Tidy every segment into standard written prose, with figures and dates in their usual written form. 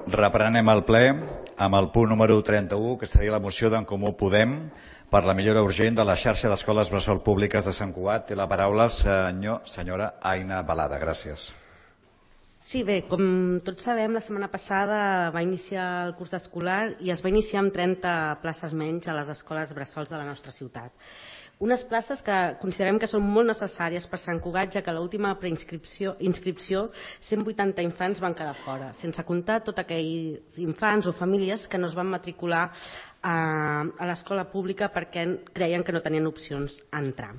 Reprenem el ple amb el punt número 31, que seria la moció d'en Comú Podem per la millora urgent de la xarxa d'escoles bressol públiques de Sant Cugat. Té la paraula senyora Aina Balada. Gràcies. Sí, bé, com tots sabem, la setmana passada va iniciar el curs escolar i es va iniciar amb 30 places menys a les escoles bressols de la nostra ciutat. Unes places que considerem que són molt necessàries per Sant Cugat, ja que a l'última inscripció 180 infants van quedar fora, sense comptar tots aquells infants o famílies que no es van matricular a l'escola pública perquè creien que no tenien opcions a entrar.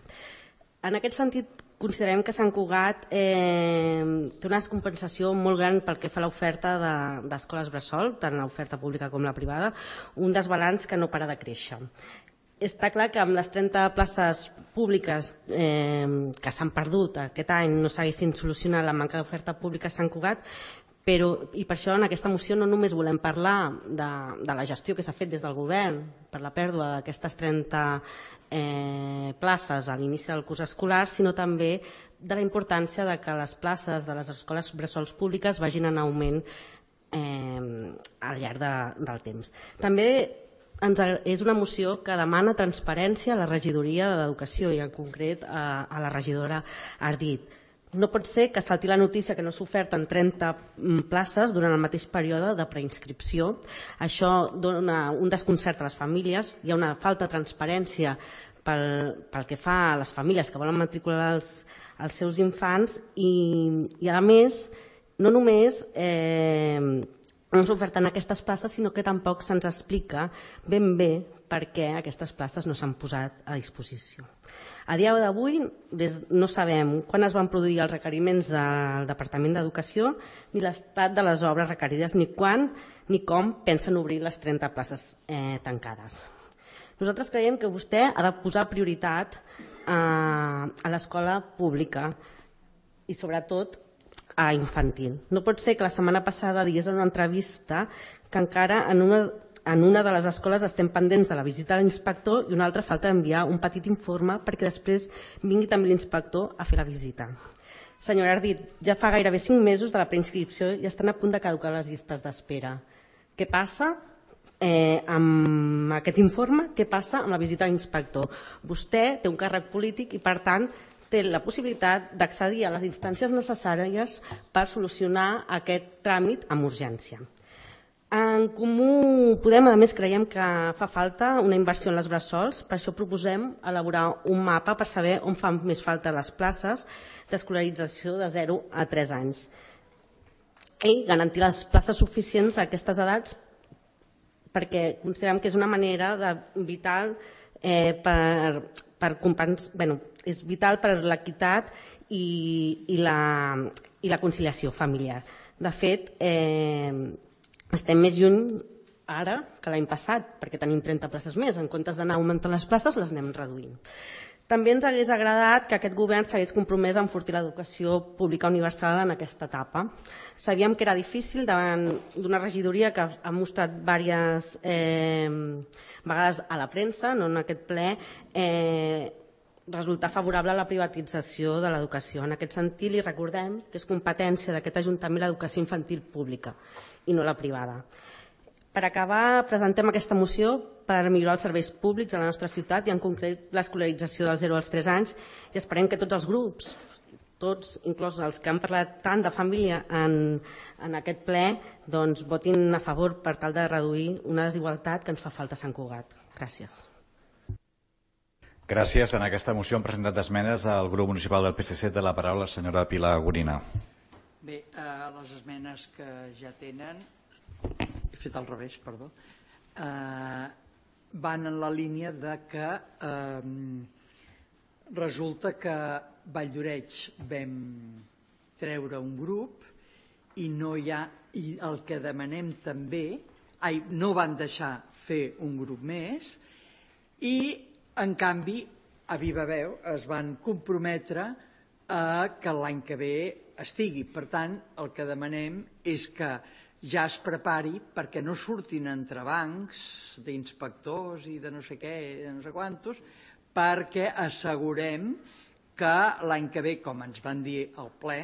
En aquest sentit, considerem que Sant Cugat té una descompensació molt gran pel que fa a l'oferta d'escoles bressol, tant l'oferta pública com la privada, un desbalanç que no para de créixer. Està clar que amb les 30 places públiques que s'han perdut aquest any no s'haguessin solucionat la manca d'oferta pública a Sant Cugat, i per això en aquesta moció no només volem parlar de la gestió que s'ha fet des del govern per la pèrdua d'aquestes 30 places a l'inici del curs escolar, sinó també de la importància que les places de les escoles bressols públiques vagin en augment al llarg del temps. També és una moció que demana transparència a la regidoria d'Educació i en concret a la regidora Ardit. No pot ser que salti la notícia que no s'oferten 30 places durant el mateix període de preinscripció. Això dona un desconcert a les famílies, hi ha una falta de transparència pel que fa a les famílies que volen matricular els seus infants i a més, no només no s'oferten aquestes places, sinó que tampoc se'ns explica ben bé per què aquestes places no s'han posat a disposició. A dia d'avui no sabem quan es van produir els requeriments del Departament d'Educació ni l'estat de les obres requerides, ni quan ni com pensen obrir les 30 places tancades. Nosaltres creiem que vostè ha de posar prioritat a l'escola pública i sobretot a infantil. No pot ser que la setmana passada digués en una entrevista que encara en una de les escoles estem pendents de la visita de l'inspector i una altra falta d'enviar un petit informe perquè després vingui també l'inspector a fer la visita. Senyora Ardit, ja fa gairebé 5 mesos de la preinscripció i estan a punt de caducar les llistes d'espera. Què passa amb aquest informe? Què passa amb la visita de l'inspector? Vostè té un càrrec polític i, per tant, té la possibilitat d'accedir a les instàncies necessàries per solucionar aquest tràmit amb urgència. En Comú Podem, a més, creiem que fa falta una inversió en les bressols, per això proposem elaborar un mapa per saber on fan més falta les places d'escolarització de 0 a 3 anys i garantir les places suficients a aquestes edats perquè considerem que és una manera vital és vital per l'equitat i la conciliació familiar. De fet, estem més lluny ara que l'any passat, perquè tenim 30 places més. En comptes d'anar augmentant les places, les anem reduint. També ens hagués agradat que aquest govern s'hagués compromès a enfortir l'educació pública universal en aquesta etapa. Sabíem que era difícil davant d'una regidoria que ha mostrat diverses vegades a la premsa, no en aquest ple, resultar favorable a la privatització de l'educació. En aquest sentit, li recordem que és competència d'aquest Ajuntament l'educació infantil pública i no la privada. Per acabar, presentem aquesta moció per millorar els serveis públics a la nostra ciutat i en concret l'escolarització dels 0 als 3 anys i esperem que tots els grups, tots, inclús els que han parlat tant de família en aquest ple, doncs votin a favor per tal de reduir una desigualtat que ens fa falta a Sant Cugat. Gràcies. Gràcies. En aquesta moció han presentat esmenes al grup municipal del PSC. Té la paraula la senyora Pilar Gorina. Bé, les esmenes que ja tenen, he fet al revés, perdó, van en la línia de que resulta que Valldoreix vam treure un grup i no hi ha, i el que demanem també, no van deixar fer un grup més i en canvi a viva veu es van comprometre que l'any que ve estigui. Per tant, el que demanem és que ja es prepari perquè no surtin entrebancs d'inspectors i de no sé què, de no sé quantos, perquè assegurem que l'any que ve, com ens van dir al ple,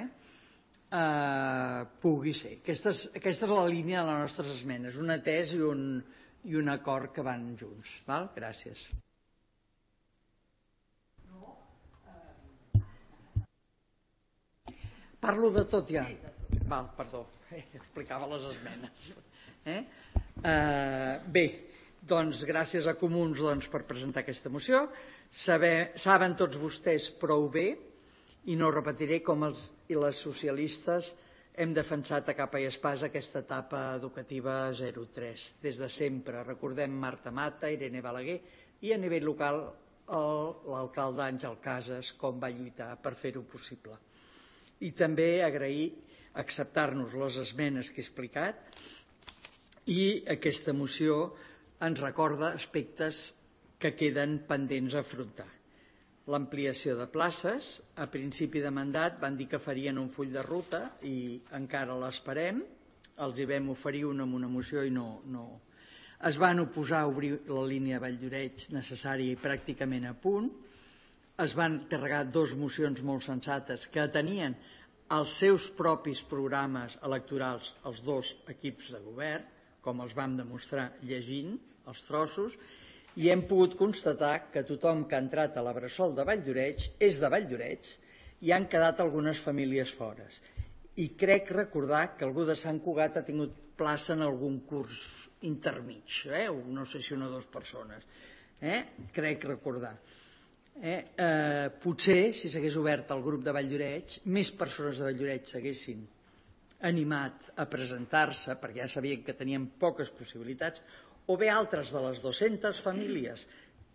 pugui ser. Aquesta és la línia de les nostres esmenes, un atès i un acord que van junts. Val? Gràcies. Parlo de tot ja? Sí, de tot. Val, perdó, explicava les esmenes. Bé, doncs gràcies a Comuns per presentar aquesta moció. Saben tots vostès prou bé, i no repetiré com els i les socialistes hem defensat a capa i espasa aquesta etapa educativa 0-3. Des de sempre, recordem Marta Mata, Irene Balaguer i a nivell local l'alcalde Àngel Casas com va lluitar per fer-ho possible. I també agrair acceptar-nos les esmenes que he explicat, i aquesta moció ens recorda aspectes que queden pendents a afrontar. L'ampliació de places, a principi de mandat van dir que farien un full de ruta i encara l'esperem, els hi vam oferir una amb una moció i no. Es van oposar a obrir la línia Valldoreix necessària i pràcticament a punt, es van carregar 2 mocions molt sensates que tenien els seus propis programes electorals els 2 equips de govern, com els vam demostrar llegint els trossos, i hem pogut constatar que tothom que ha entrat a la Bressol de Valldoreix és de Valldoreix i han quedat algunes famílies fora. I crec recordar que algú de Sant Cugat ha tingut plaça en algun curs intermig, no sé si 1 o 2 persones. Crec recordar. Potser, si s'hagués obert el grup de Valldoreix, més persones de Valldoreix s'haguessin animat a presentar-se, perquè ja sabien que tenien poques possibilitats, o bé altres de les 200 famílies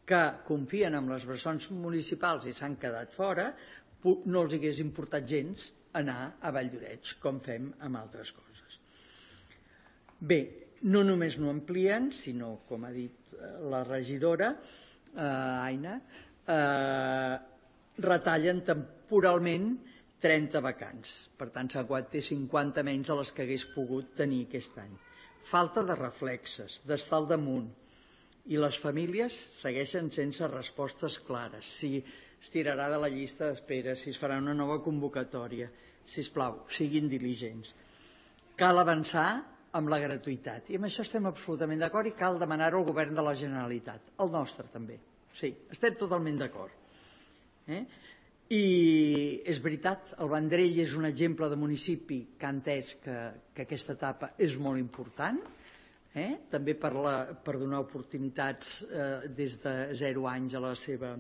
que confien en les bressons municipals i s'han quedat fora, no els hagués importat gens anar a Valldoreix, com fem amb altres coses. Bé, no només no amplien, sinó, com ha dit la regidora, Aina, retallen temporalment 30 vacants. Per tant, Sant Cugat té 50 menys de les que hagués pogut tenir aquest any. Falta de reflexes, d'estar al damunt, i les famílies segueixen sense respostes clares. Si es tirarà de la llista d'espera, si es farà una nova convocatòria, sisplau, siguin diligents. Cal avançar amb la gratuïtat, i amb això estem absolutament d'acord i cal demanar-ho al govern de la Generalitat, el nostre també. Sí, estem totalment d'acord. I és veritat, el Vendrell és un exemple de municipi que ha entès que aquesta etapa és molt important, també per donar oportunitats des de 0 anys a la seva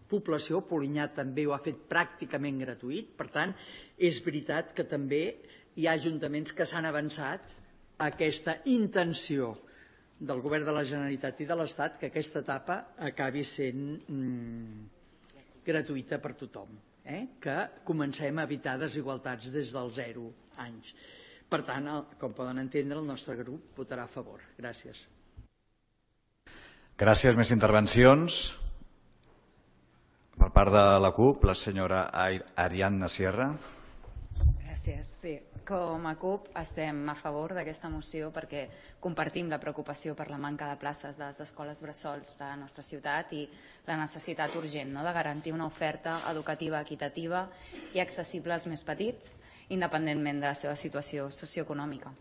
població. Polinyà també ho ha fet pràcticament gratuït, per tant, és veritat que també hi ha ajuntaments que s'han avançat a aquesta intenció del govern de la Generalitat i de l'Estat que aquesta etapa acabi sent gratuïta per tothom, que comencem a evitar desigualtats des dels 0 anys. Per tant, com poden entendre, el nostre grup votarà a favor. Gràcies. Gràcies. Més intervencions? Per part de la CUP, la senyora Ariadna Sierra. Gràcies. Sí, com a CUP estem a favor d'aquesta moció perquè compartim la preocupació per la manca de places de les escoles bressols de la nostra ciutat i la necessitat urgent de garantir una oferta educativa equitativa i accessible als més petits, independentment de la seva situació socioeconòmica.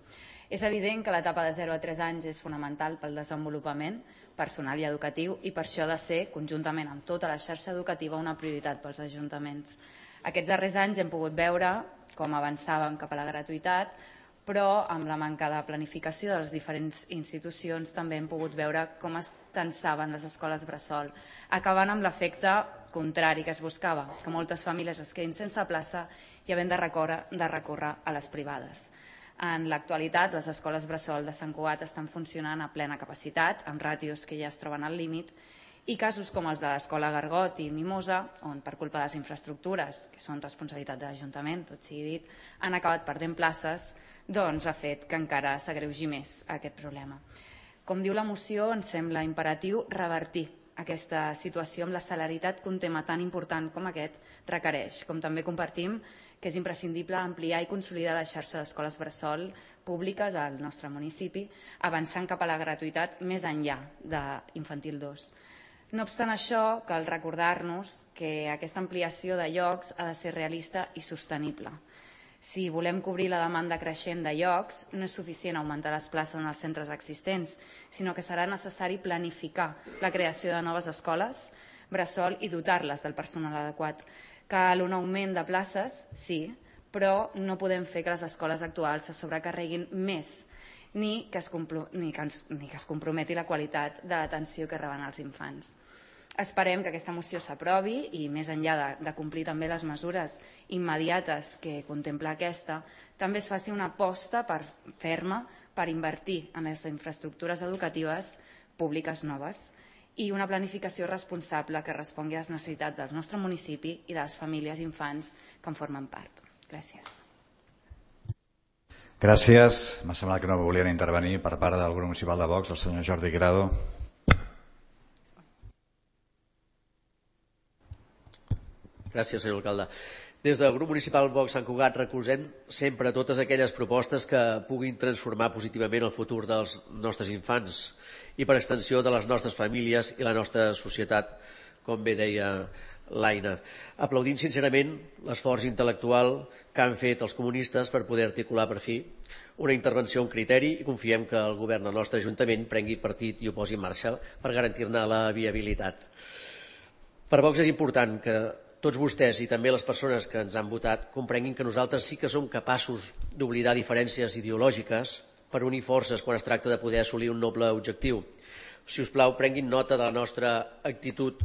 És evident que l'etapa de 0 a 3 anys és fonamental pel desenvolupament personal i educatiu i per això ha de ser, conjuntament amb tota la xarxa educativa, una prioritat pels ajuntaments. Aquests darrers anys hem pogut veure com avançàvem cap a la gratuïtat, però amb la manca de planificació de les diferents institucions també hem pogut veure com es tensaven les escoles bressol, acabant amb l'efecte contrari que es buscava, que moltes famílies es quedin sense plaça i havent de recórrer a les privades. En l'actualitat, les escoles bressol de Sant Cugat estan funcionant a plena capacitat, amb ràtios que ja es troben al límit, i casos com els de l'escola Gargot i Mimosa, on per culpa de les infraestructures, que són responsabilitat de l'Ajuntament, tot sigui dit, han acabat perdent places, doncs ha fet que encara s'agreugi més aquest problema. Com diu la moció, ens sembla imperatiu revertir aquesta situació amb la celeritat que un tema tan important com aquest requereix, com també compartim que és imprescindible ampliar i consolidar la xarxa d'escoles bressol públiques al nostre municipi, avançant cap a la gratuïtat més enllà d'infantil 2. No obstant això, cal recordar-nos que aquesta ampliació de llocs ha de ser realista i sostenible. Si volem cobrir la demanda creixent de llocs, no és suficient augmentar les places en els centres existents, sinó que serà necessari planificar la creació de noves escoles bressol i dotar-les del personal adequat. Cal un augment de places, sí, però no podem fer que les escoles actuals se sobrecarreguin més ni que es comprometi la qualitat de l'atenció que reben els infants. Esperem que aquesta moció s'aprovi i, més enllà de complir també les mesures immediates que contempla aquesta, també es faci una aposta ferma per invertir en les infraestructures educatives públiques noves i una planificació responsable que respongui a les necessitats del nostre municipi i de les famílies i infants que en formen part. Gràcies. Gràcies. M'ha semblat que no volien intervenir per part del grup municipal de Vox, el senyor Jordi Grado. Gràcies, senyor alcalde. Des del grup municipal Vox Sant Cugat recolzem sempre totes aquelles propostes que puguin transformar positivament el futur dels nostres infants i per extensió de les nostres famílies i la nostra societat, com bé deia l'Aina. Aplaudim sincerament l'esforç intel·lectual que han fet els comunistes per poder articular per fi una intervenció amb criteri i confiem que el govern del nostre Ajuntament prengui partit i ho posi en marxa per garantir-ne la viabilitat. Per Vox és important que tots vostès i també les persones que ens han votat comprenguin que nosaltres sí que som capaços d'oblidar diferències ideològiques per unir forces quan es tracta de poder assolir un noble objectiu. Si us plau, prenguin nota de la nostra actitud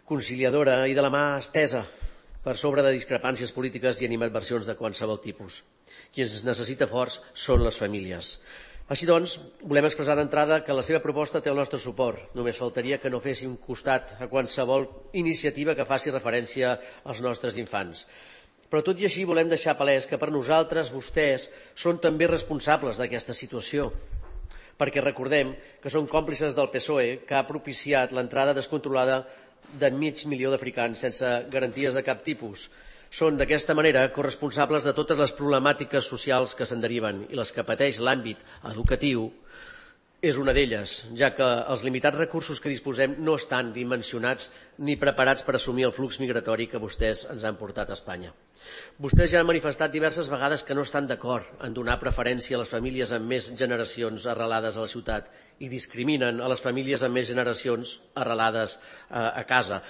conciliadora i de la mà estesa per sobre de discrepàncies polítiques i animadversions de qualsevol tipus. Qui ens necessita forts són les famílies. Així doncs, volem expressar d'entrada que la seva proposta té el nostre suport. Només faltaria que no féssim costat a qualsevol iniciativa que faci referència als nostres infants. Però tot i així volem deixar palès que per nosaltres vostès són també responsables d'aquesta situació, perquè recordem que són còmplices del PSOE que ha propiciat l'entrada descontrolada de 500.000 d'africans sense garanties de cap tipus. Són d'aquesta manera corresponsables de totes les problemàtiques socials que se'n deriven i les que pateix l'àmbit educatiu és una d'elles, ja que els limitats recursos que disposem no estan dimensionats ni preparats per assumir el flux migratori que vostès ens han portat a Espanya. Vostès ja han manifestat diverses vegades que no estan d'acord en donar preferència a les famílies amb més generacions arrelades a la ciutat i discriminen a les famílies amb més generacions arrelades a casa.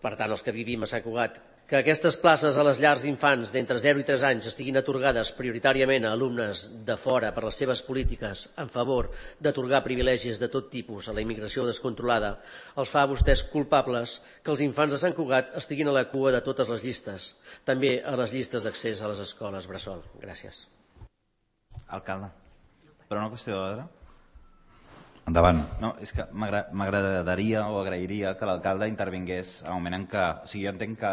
Per tant, els que vivim a Sant Cugat, que aquestes places a les llars d'infants d'entre 0 i 3 anys estiguin atorgades prioritàriament a alumnes de fora per les seves polítiques en favor d'atorgar privilegis de tot tipus a la immigració descontrolada, els fa a vostès culpables que els infants de Sant Cugat estiguin a la cua de totes les llistes, també a les llistes d'accés a les escoles bressol. Gràcies. Alcalde, per una qüestió d'ordre. Endavant. No, és que m'agradaria o agrairia que l'alcalde intervingués al moment en què... O sigui, jo entenc que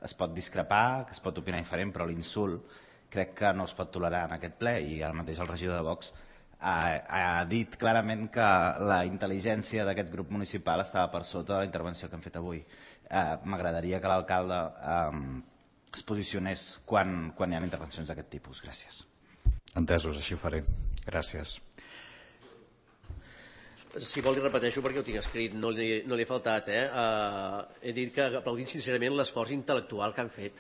es pot discrepar, que es pot opinar diferent, però l'insult crec que no es pot tolerar en aquest ple i ara mateix el regidor de Vox ha dit clarament que la intel·ligència d'aquest grup municipal estava per sota de la intervenció que hem fet avui. M'agradaria que l'alcalde es posicionés quan hi ha intervencions d'aquest tipus. Gràcies. Entesos, així ho faré. Gràcies. Si vol li repeteixo perquè ho tinc escrit, no li he faltat. He dit que aplaudint sincerament l'esforç intel·lectual que han fet.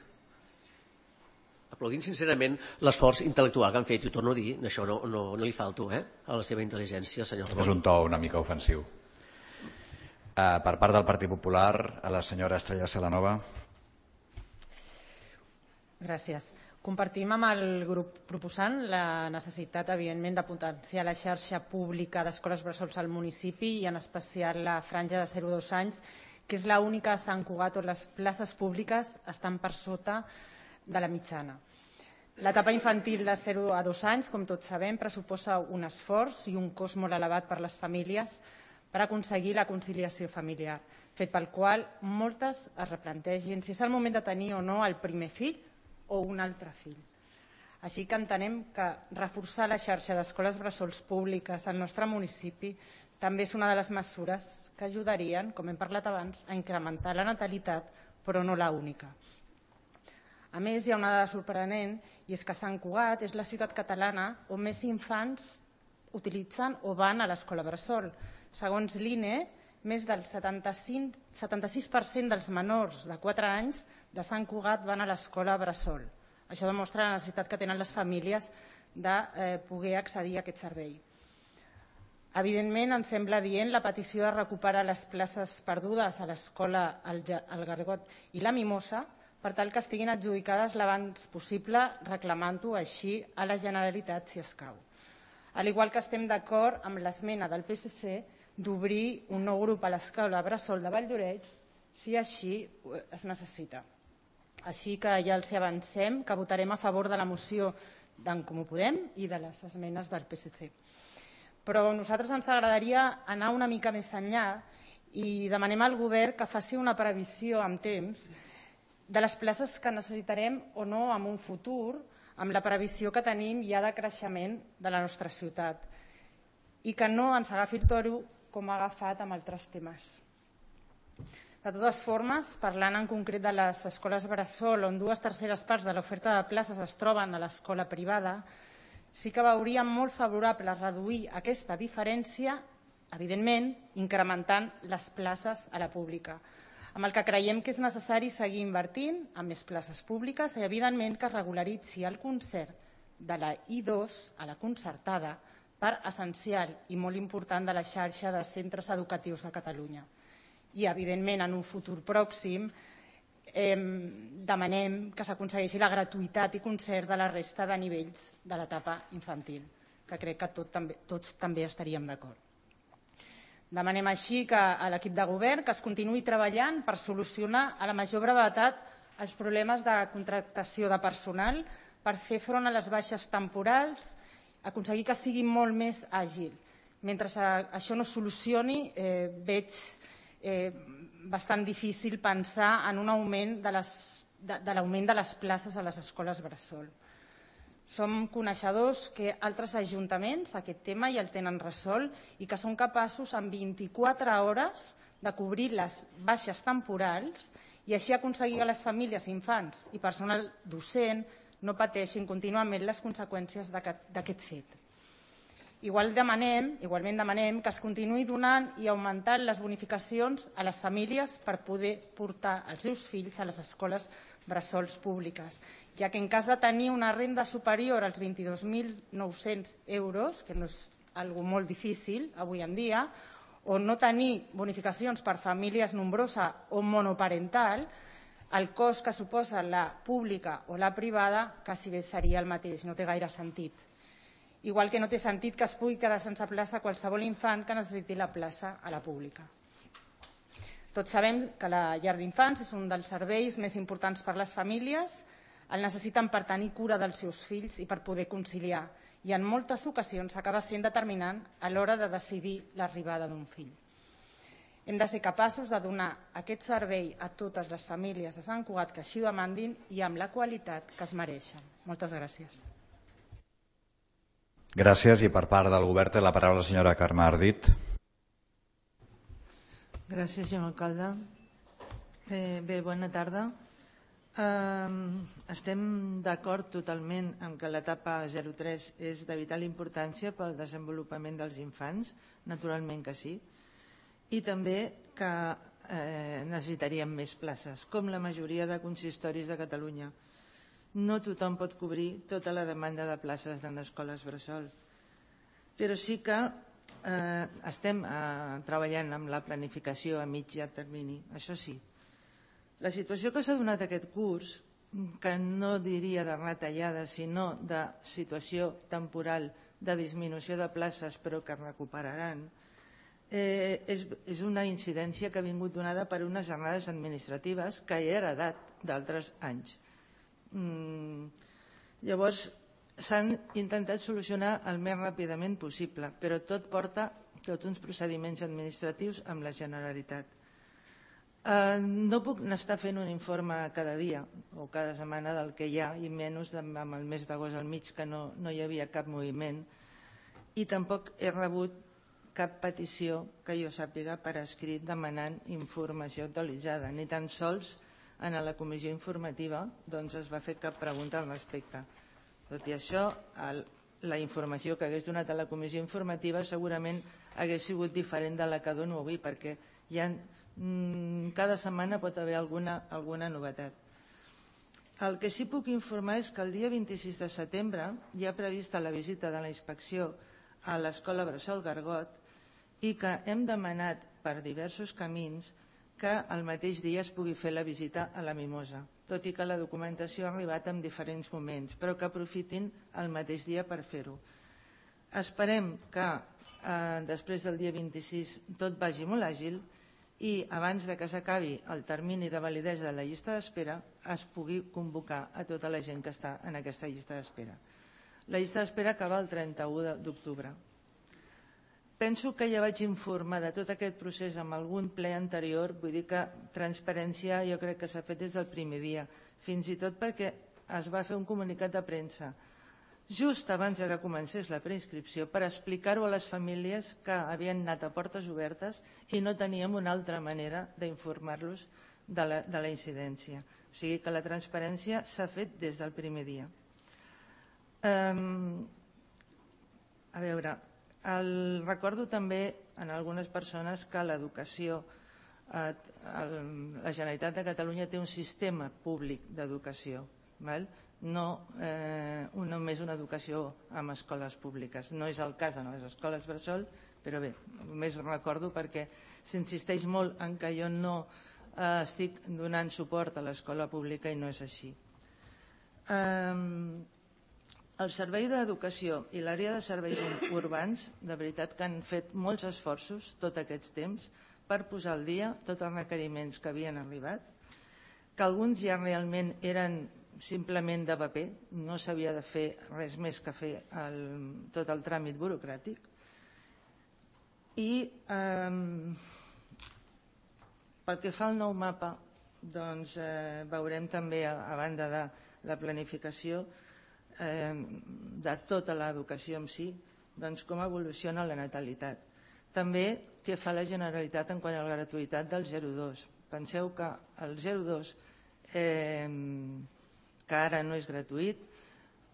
Aplaudint sincerament l'esforç intel·lectual que han fet, i ho torno a dir, això no li falto a la seva intel·ligència, senyor Ramon. És un to una mica ofensiu. Per part del Partit Popular, a la senyora Estrella Celanova. Gràcies. Compartim amb el grup proposant la necessitat, evidentment, de potenciar la xarxa pública d'escoles bressols al municipi i en especial la franja de 0 a 2 anys, que és l'única a Sant Cugat on les places públiques estan per sota de la mitjana. L'etapa infantil de 0 a 2 anys, com tots sabem, pressuposa un esforç i un cost molt elevat per a les famílies per aconseguir la conciliació familiar, fet pel qual moltes es replantegin si és el moment de tenir o no el primer fill o un altre fill. Així que entenem que reforçar la xarxa d'escoles bressols públiques al nostre municipi també és una de les mesures que ajudarien, com hem parlat abans, a incrementar la natalitat, però no l'única. A més, hi ha una dada sorprenent, i és que Sant Cugat és la ciutat catalana on més infants utilitzen o van a l'escola bressol. Segons l'INE, més del 76% dels menors de 4 anys de Sant Cugat van a l'escola bressol. Això demostra la necessitat que tenen les famílies de poder accedir a aquest servei. Evidentment, ens sembla adient la petició de recuperar les places perdudes a l'escola El Gargot i la Mimosa per tal que estiguin adjudicades l'abans possible, reclamant-ho així a la Generalitat si escau. Al igual que estem d'acord amb l'esmena del PSC d'obrir un nou grup a l'escola Bressol de Valldoreix si així es necessita. Així que ja els avancem que votarem a favor de la moció d'en Comú Podem i de les esmenes del PSC. Però a nosaltres ens agradaria anar una mica més enllà i demanem al govern que faci una previsió amb temps de les places que necessitarem o no en un futur, amb la previsió que tenim ja de creixement de la nostra ciutat i que no ens agafi el toro com ha agafat amb altres temes. De totes formes, parlant en concret de les escoles bressol, on 2/3 parts de l'oferta de places es troben a l'escola privada, sí que veuríem molt favorable reduir aquesta diferència, evidentment, incrementant les places a la pública, amb el que creiem que és necessari seguir invertint en més places públiques i, evidentment, que es regularitzi el concert de la I2 a la concertada, part essencial i molt important de la xarxa de centres educatius de Catalunya. I, evidentment, en un futur pròxim, demanem que s'aconsegueixi la gratuïtat i concert de la resta de nivells de l'etapa infantil, que crec que tots també estaríem d'acord. Demanem així a l'equip de govern que es continuï treballant per solucionar a la major brevetat els problemes de contractació de personal, per fer front a les baixes temporals, aconseguir que sigui molt més àgil. Mentre això no es solucioni, veig bastant difícil pensar en un augment de l'augment de les places a les escoles bressol. Som coneixedors que altres ajuntaments aquest tema ja el tenen resolt i que són capaços en 24 hores de cobrir les baixes temporals i així aconseguir que les famílies, infants i personal docent no pateixin contínuament les conseqüències d'aquest fet. Igualment demanem que es continuï donant i augmentant les bonificacions a les famílies per poder portar els seus fills a les escoles bressols públiques, ja que en cas de tenir una renda superior als 22.900 euros, que no és algo molt difícil avui en dia, o no tenir bonificacions per famílies nombrosa o monoparental, el cost que suposa la pública o la privada quasi bé seria el mateix, no té gaire sentit. Igual que no té sentit que es pugui quedar sense plaça qualsevol infant que necessiti la plaça a la pública. Tots sabem que la llar d'infants és un dels serveis més importants per a les famílies, el necessiten per tenir cura dels seus fills i per poder conciliar, i en moltes ocasions acaba sent determinant a l'hora de decidir l'arribada d'un fill. Hem de ser capaços de donar aquest servei a totes les famílies de Sant Cugat que així ho demandin i amb la qualitat que es mereixen. Moltes gràcies. Gràcies. I per part del govern té la paraula la senyora Carme Ardit. Gràcies, senyor alcalde. Bé, bona tarda. Estem d'acord totalment amb que l'etapa 03 és de vital importància pel desenvolupament dels infants, naturalment que sí, i també que necessitaríem més places, com la majoria de consistoris de Catalunya. No tothom pot cobrir tota la demanda de places en escoles bressol, però sí que estem treballant amb la planificació a mig i a termini, això sí. La situació que s'ha donat aquest curs, que no diria de retallada, sinó de situació temporal de disminució de places però que recuperaran, és una incidència que ha vingut donada per unes jornades administratives que he heredat d'altres anys. Llavors, s'han intentat solucionar el més ràpidament possible, però tot porta tots uns procediments administratius amb la Generalitat. No puc estar fent un informe cada dia o cada setmana del que hi ha, i menys amb el mes d'agost al mig, que no hi havia cap moviment, i tampoc he rebut cap petició que jo sàpiga per escrit demanant informació actualitzada, ni tan sols en la comissió informativa es va fer cap pregunta al respecte. Tot i això, la informació que hagués donat a la comissió informativa segurament hagués sigut diferent de la que dono avui, perquè cada setmana pot haver alguna novetat. El que sí puc informar és que el dia 26 de setembre hi ha prevista la visita de la inspecció a l'Escola Bressol Gargot i que hem demanat per diversos camins que el mateix dia es pugui fer la visita a la Mimosa, tot i que la documentació ha arribat en diferents moments, però que aprofitin el mateix dia per fer-ho. Esperem que després del dia 26 tot vagi molt àgil i abans de que s'acabi el termini de validesa de la llista d'espera es pugui convocar a tota la gent que està en aquesta llista d'espera. La llista d'espera acaba el 31 d'octubre. Penso que ja vaig informar de tot aquest procés en algun ple anterior, vull dir que transparència jo crec que s'ha fet des del primer dia, fins i tot perquè es va fer un comunicat de premsa just abans que comencés la preinscripció per explicar-ho a les famílies que havien anat a portes obertes i no teníem una altra manera d'informar-los de la incidència. O sigui que la transparència s'ha fet des del primer dia. A veure, recordo també en algunes persones que l'educació, la Generalitat de Catalunya té un sistema públic d'educació, no només una educació en escoles públiques. No és el cas en les escoles bressol, però bé, només recordo perquè s'insisteix molt en que jo no estic donant suport a l'escola pública i no és així. El Servei d'Educació i l'àrea de serveis urbans, de veritat que han fet molts esforços tot aquest temps per posar al dia tots els requeriments que havien arribat, que alguns ja realment eren simplement de paper, no s'havia de fer res més que fer tot el tràmit burocràtic. I pel que fa al nou mapa, doncs veurem també, a banda de la planificació de tota l'educació en si, doncs com evoluciona la natalitat. També què fa la Generalitat en quant a la gratuïtat del 0-2. Penseu que el 0-2, que ara no és gratuït,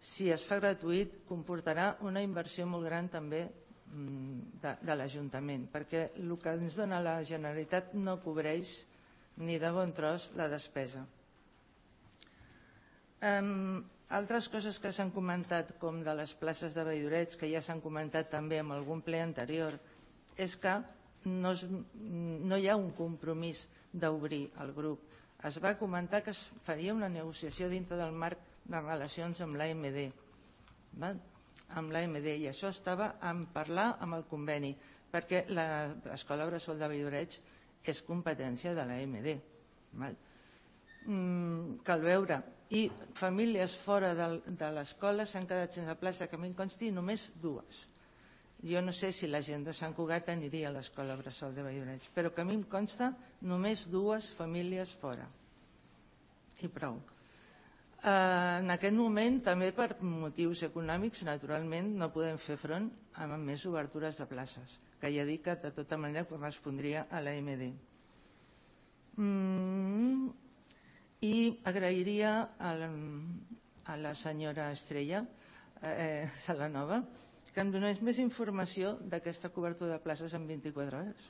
si es fa gratuït comportarà una inversió molt gran també de l'Ajuntament, perquè el que ens dona la Generalitat no cobreix ni de bon tros la despesa. Altres coses que s'han comentat, com de les places de Valldoreix, que ja s'han comentat també en algun ple anterior, és que no hi ha un compromís d'obrir el grup. Es va comentar que es faria una negociació dintre del marc de relacions amb l'AMD, i això estava en parlar amb el conveni, perquè l'Escola Bressol de Valldoreix és competència de l'AMD. Cal veure. I famílies fora de l'escola s'han quedat sense plaça, que a mi em consti només 2. Jo no sé si la gent de Sant Cugat aniria a l'Escola Bressol de Valldoreix, però que a mi em consta només 2 famílies fora. I prou. En aquest moment, també per motius econòmics, naturalment, no podem fer front a més obertures de places, que ja dic que de tota manera correspondria a l'AMD. I agrairia a la senyora Estrella Salanova que em donés més informació d'aquesta cobertura de places en 24 hores,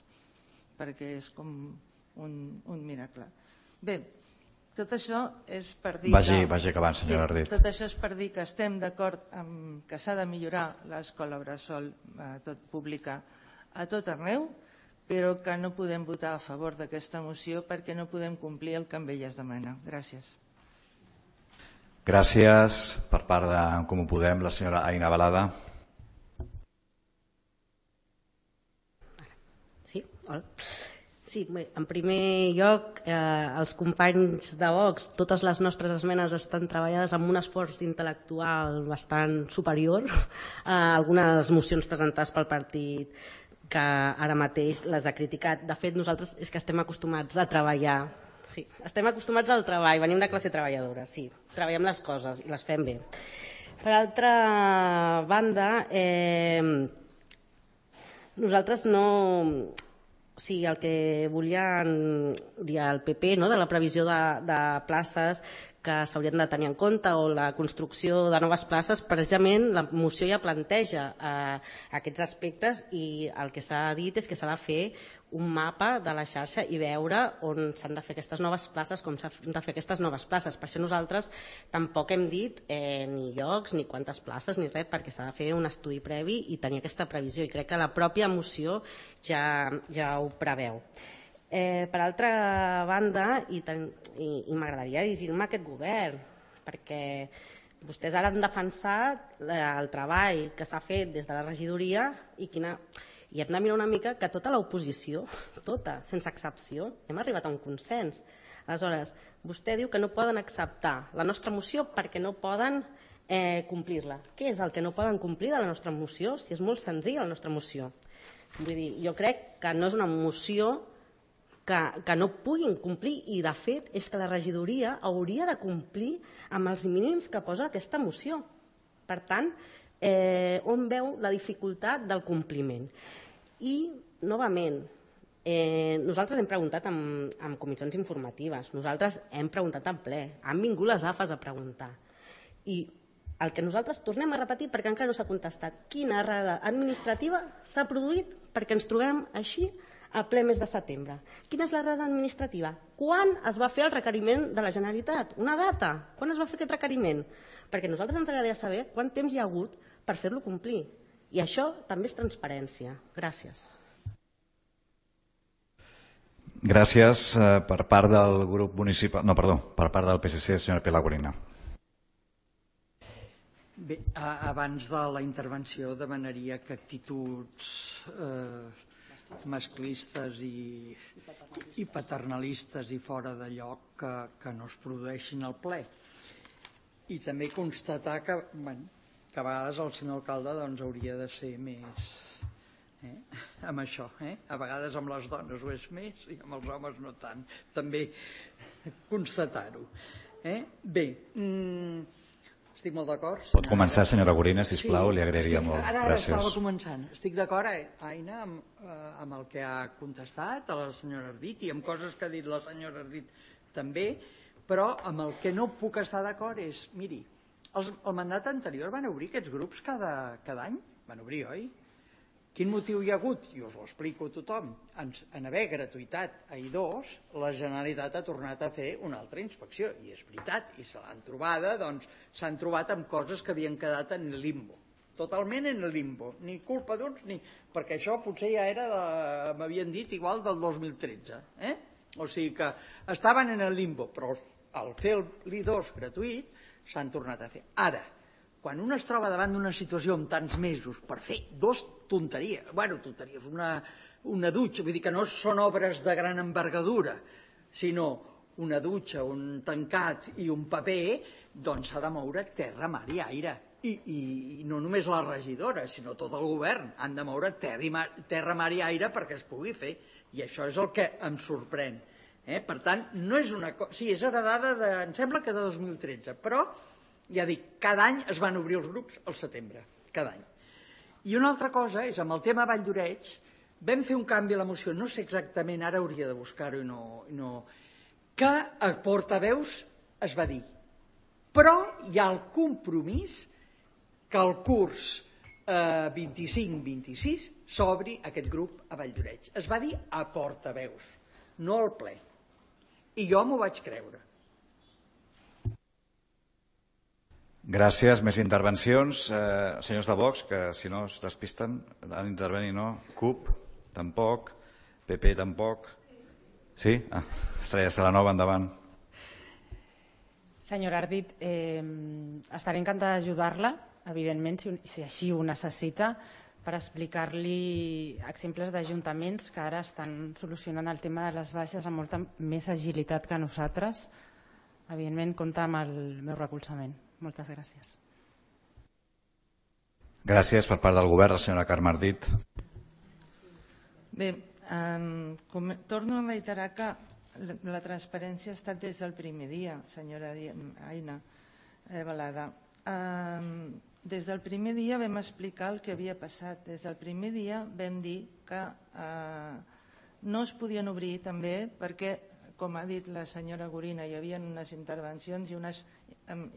perquè és com un miracle. Bé, tot això és per dir... Vagi acabant, senyora Ardit. Tot això és per dir que estem d'acord que s'ha de millorar l'escola bressol pública a tot arreu, però que no podem votar a favor d'aquesta moció perquè no podem complir el que amb ella es demana. Gràcies. Gràcies. Per part d'en Comú Podem, la senyora Aina Balada. Sí, hola. Sí, en primer lloc, els companys de Vox, totes les nostres esmenes estan treballades amb un esforç intel·lectual bastant superior a algunes mocions presentades pel partit que ara mateix les ha criticat. De fet, nosaltres és que estem acostumats a treballar. Sí, estem acostumats al treball, venim de classe treballadora, sí. Treballem les coses i les fem bé. Per altra banda, nosaltres no... O sigui, el que volien dir el PP, de la previsió de places, que s'haurien de tenir en compte o la construcció de noves places, precisament la moció ja planteja aquests aspectes i el que s'ha dit és que s'ha de fer un mapa de la xarxa i veure on s'han de fer aquestes noves places, com s'han de fer aquestes noves places. Per això nosaltres tampoc hem dit ni llocs, ni quantes places, ni res, perquè s'ha de fer un estudi previ i tenir aquesta previsió, i crec que la pròpia moció ja ho preveu. Per altra banda, i m'agradaria dirigir-me a aquest govern, perquè vostès ara han defensat el treball que s'ha fet des de la regidoria i hem de mirar una mica que tota l'oposició, tota, sense excepció, hem arribat a un consens. Aleshores, vostè diu que no poden acceptar la nostra moció perquè no poden complir-la. Què és el que no poden complir de la nostra moció? Si és molt senzilla la nostra moció. Vull dir, jo crec que no és una moció que no puguin complir, i de fet és que la regidoria hauria de complir amb els mínims que posa aquesta moció. Per tant, on veu la dificultat del compliment? I, novament, nosaltres hem preguntat en comissions informatives, nosaltres hem preguntat en ple, han vingut les AFAs a preguntar, i el que nosaltres tornem a repetir, perquè encara no s'ha contestat, quina errada administrativa s'ha produït perquè ens trobem així a ple mes de setembre. Quina és l'errada administrativa? Quan es va fer el requeriment de la Generalitat? Una data? Quan es va fer aquest requeriment? Perquè a nosaltres ens agradaria saber quant temps hi ha hagut per fer-lo complir. I això també és transparència. Gràcies. Gràcies. Per part del grup municipal... No, perdó, per part del PSC, senyora Pilar Gorina. Bé, abans de la intervenció demanaria que actituds masclistes i paternalistes i fora de lloc que no es produeixin al ple. I també constatar que a vegades el senyor alcalde hauria de ser més amb això. A vegades amb les dones ho és més i amb els homes no tant. També constatar-ho. Bé, estic molt d'acord. Pot començar, senyora Gorina, sisplau, li agrairia molt. Ara estava començant. Estic d'acord, Aina, amb el que ha contestat a la senyora Ardit i amb coses que ha dit la senyora Ardit també, però amb el que no puc estar d'acord és, miri, el mandat anterior van obrir aquests grups cada any? Van obrir, oi? Quin motiu hi ha hagut? I us ho explico a tothom. En haver gratuïtat a I2, la Generalitat ha tornat a fer una altra inspecció. I és veritat, i se l'han trobada, s'han trobat amb coses que havien quedat en limbo. Totalment en limbo. Ni culpa d'uns, ni... Perquè això potser ja era, m'havien dit, igual del 2013. O sigui que estaven en el limbo, però al fer l'I2 gratuït s'han tornat a fer. Ara, quan un es troba davant d'una situació amb tants mesos per fer dos tonteries, tonteries, una dutxa, vull dir que no són obres de gran envergadura, sinó una dutxa, un tancat i un paper, doncs s'ha de moure terra, mar i aire. I no només la regidora, sinó tot el govern han de moure terra, mar i aire perquè es pugui fer. I això és el que em sorprèn. Per tant, no és una cosa... Sí, és heredada, em sembla que de 2013, però... Ja dic, cada any es van obrir els grups al setembre, cada any. I una altra cosa és, amb el tema Vall d'Oreig, vam fer un canvi a la moció, no sé exactament, ara hauria de buscar-ho i no... Que a portaveus es va dir, però hi ha el compromís que el curs 25-26 s'obri aquest grup a Vall d'Oreig. Es va dir a portaveus, no al ple. I jo m'ho vaig creure. Gràcies. Més intervencions. Senyors de Vox, que si no es despisten, han d'intervenir, no? CUP, tampoc. PP, tampoc. Sí? Estrella Salanova, endavant. Senyora Ardit, estaré encantada d'ajudar-la, evidentment, si així ho necessita, per explicar-li exemples d'ajuntaments que ara estan solucionant el tema de les baixes amb molta més agilitat que nosaltres. Evidentment, compta amb el meu recolzament. Moltes gràcies. Gràcies per part del govern, la senyora Carme Ardit. Bé, torno a reiterar que la transparència ha estat des del primer dia, senyora Aina Balada. Des del primer dia vam explicar el que havia passat. Des del primer dia vam dir que no es podien obrir també perquè com ha dit la senyora Gorina, hi havia unes intervencions i unes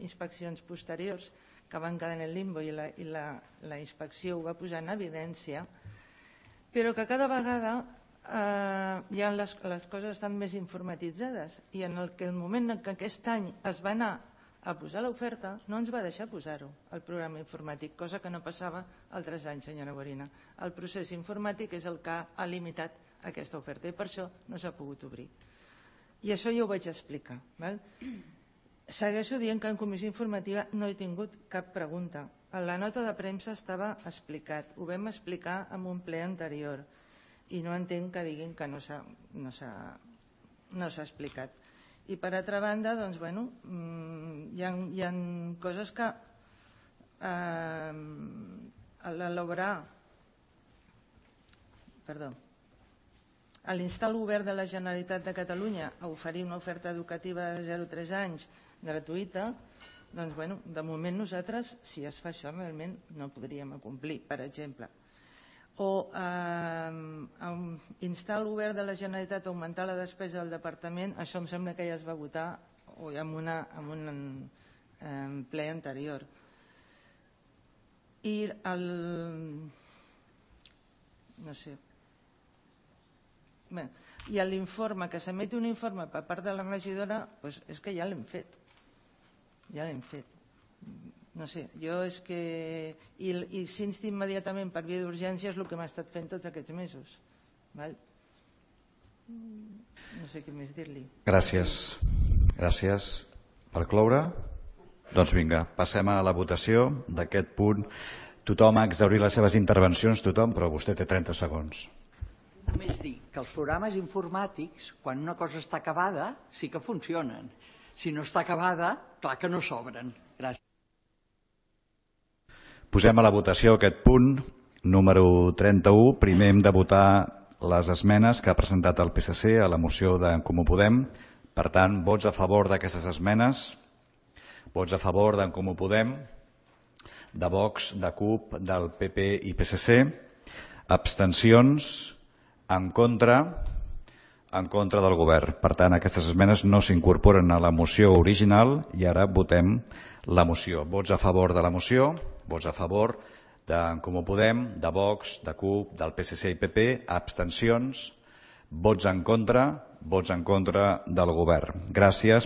inspeccions posteriors que van quedar en el limbo i la inspecció ho va posar en evidència, però que cada vegada ja les coses estan més informatitzades i en el moment que aquest any es va anar a posar l'oferta no ens va deixar posar-ho al programa informàtic, cosa que no passava altres anys, senyora Gorina. El procés informàtic és el que ha limitat aquesta oferta i per això no s'ha pogut obrir. I això ja ho vaig explicar. Segueixo dient que en comissió informativa no he tingut cap pregunta. A la nota de premsa estava explicat, ho vam explicar en un ple anterior i no entenc que diguin que no s'ha explicat. I per altra banda, doncs, bueno, hi ha coses que a l'instar el govern de la Generalitat de Catalunya a oferir una oferta educativa de 0 a 3 anys gratuïta, doncs, bueno, de moment nosaltres, si es fa això, realment no podríem complir, per exemple. O instar el govern de la Generalitat a augmentar la despesa del departament, això em sembla que ja es va votar en un ple anterior. I l'informe, que s'emeti un informe per part de la regidora, és que ja l'hem fet. Ja l'hem fet. No sé, jo és que... I s'insti immediatament per via d'urgència és el que m'ha estat fent tots aquests mesos. No sé què més dir-li. Gràcies. Gràcies. Per cloure? Doncs vinga, passem a la votació d'aquest punt. Tothom ha exhaurit les seves intervencions, tothom, però vostè té 30 segons. Només dir que els programes informàtics, quan una cosa està acabada, sí que funcionen. Si no està acabada, clar que no s'obren. Gràcies. Posem a la votació aquest punt, número 31. Primer hem de votar les esmenes que ha presentat el PSC a la moció d'en Comú Podem. Per tant, vots a favor d'aquestes esmenes, vots a favor d'en Comú Podem, de Vox, de CUP, del PP i PSC, abstencions, en contra del govern. Per tant, aquestes esmenes no s'incorporen a la moció original i ara votem la moció. Vots a favor de la moció, vots a favor d'en Comú Podem, de Vox, de CUP, del PSC i PP, abstencions, vots en contra del govern. Gràcies.